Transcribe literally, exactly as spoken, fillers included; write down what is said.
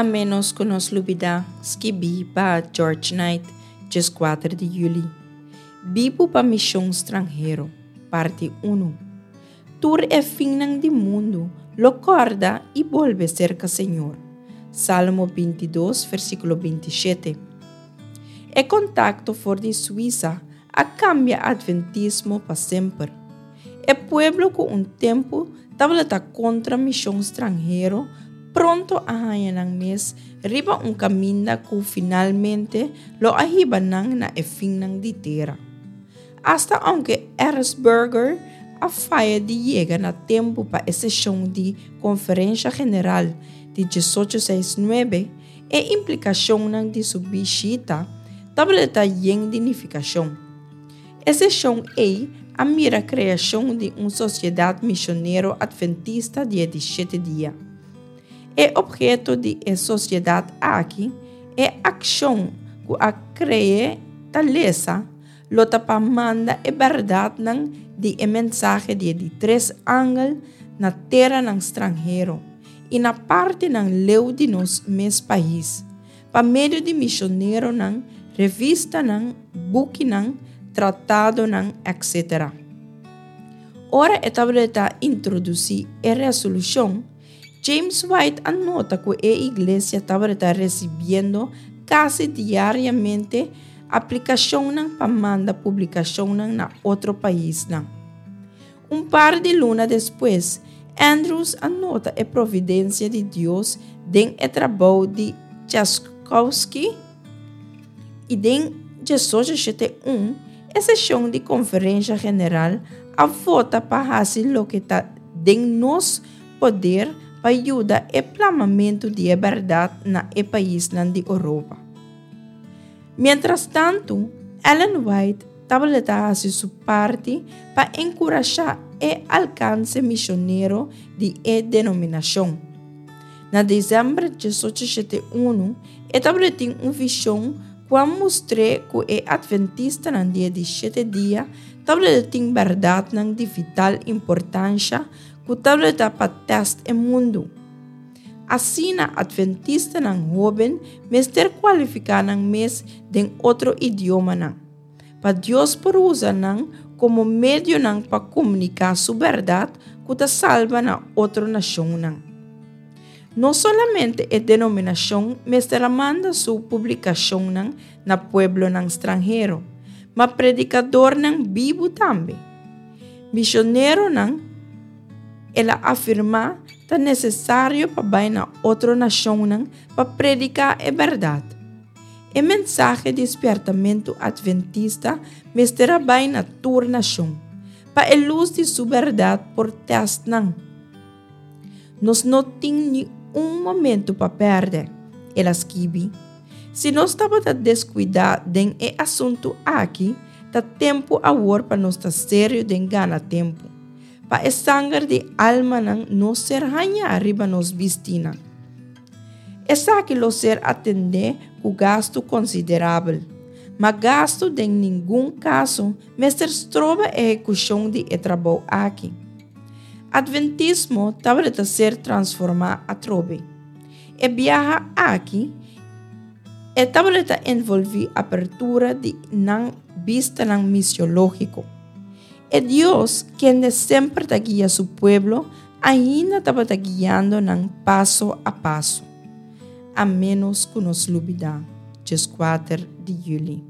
A ménos ku nos lubidá, skibí pa George Knight, dieskuater di yüli. Bibu pa mishon stranhero, parti un. Tur e finnan di mundu lo kòrda i bolbe serka Señor. Salmo bintidos, versíkulo bintishete. E kontakto for di Suisa a kambia atventismo pa semper. E pueblo ku un tempu tabata kontra mishon stranhero pronto a haña nan mes riba un kaminda ku finalmente lo a hiba nan na e finnan di tera. Asta ounke Erzberger a faya di yega na tempu pa e seshon di Konferensha General di diesocho seis nuebe, e implikashonnan di su bishita tabata yen di nifikashon. E seshon ei a mira kreashon di un Sosiedat Misionero Atventista di e di shete dia. E opheto di e sosiedat aki, e akshon ku a kre'é ta lesa, lo ta pa manda e bèrdatnan di e mensahe di e di tres angel na teranan stranhero i na partinan leu di nos mes pais, pa medio di misioneronan, revistanan, bukinan, tratadonan, etcétera. Ora e tabata introdusí e resolushon, James White a nota ku e iglesia tabata resibiendo kasi diariamente aplikashonnan pa manda publikashonnan na otro paisnan. Un par di luna despues, Andrews a nota e providensia di Dios den e trabou di Tchaikovsky i den diesocho shete un e seshon di Konferensha General a vota pa hasi loke ta den nos poder pa yuda e plamamentu di e bèrdat na e paisnan di Oropa. Miéntras tantu, Ellen White tabata hasi su parti pa enkurashá e alkanse misionero di e denominashon. Na desèmber diesocho shete unu, e tabatin un vishon ku a mustr'é ku e atventistanan di e di shete dia tabatin bèrdatnan di vital importansha ku tabata pa tèst e mundu. Asina atventistanan hóben mester kualifiká nan mes den otro idiomanan, pa Dios por usa nan komo medionan pa komuniká su bèrdat ku ta salba na otro nashonnan. No solamente e denominashon mester a manda su publikashonnan na pueblonan stranhero, ma predikadornan bibu tambe. Misioneronan, el a afirmá, ta nesesario pa bai na otro nashonnan pa prediká e bèrdat. E mensahe di spièrtamentu atventista mester a bai na tur nashon, pa e lus di su bèrdat por tèst nan. Nos no tin ni un momentu pa pèrdè, el a skibi. Si nos tabata deskuidá den e asuntu aki, ta tempu awor pa nos ta serio den gana tempu, pa e sanger di almanan no ser hañá riba nos bistinan. Esaki lo ser atendé ku gastu konsiderabel, ma gastu den ningun kaso mester stroba ehekushon di e trabou aki. Atventismo tabata ser transformá atrobe. E biaha aki e tabata envolví apertura di nan bistanan misiológiko. E Dios, kende semper ta guia su pueblo, ainda tabata guiando nan paso a paso. A ménos ku nos lubidá, dieskuater di yüli.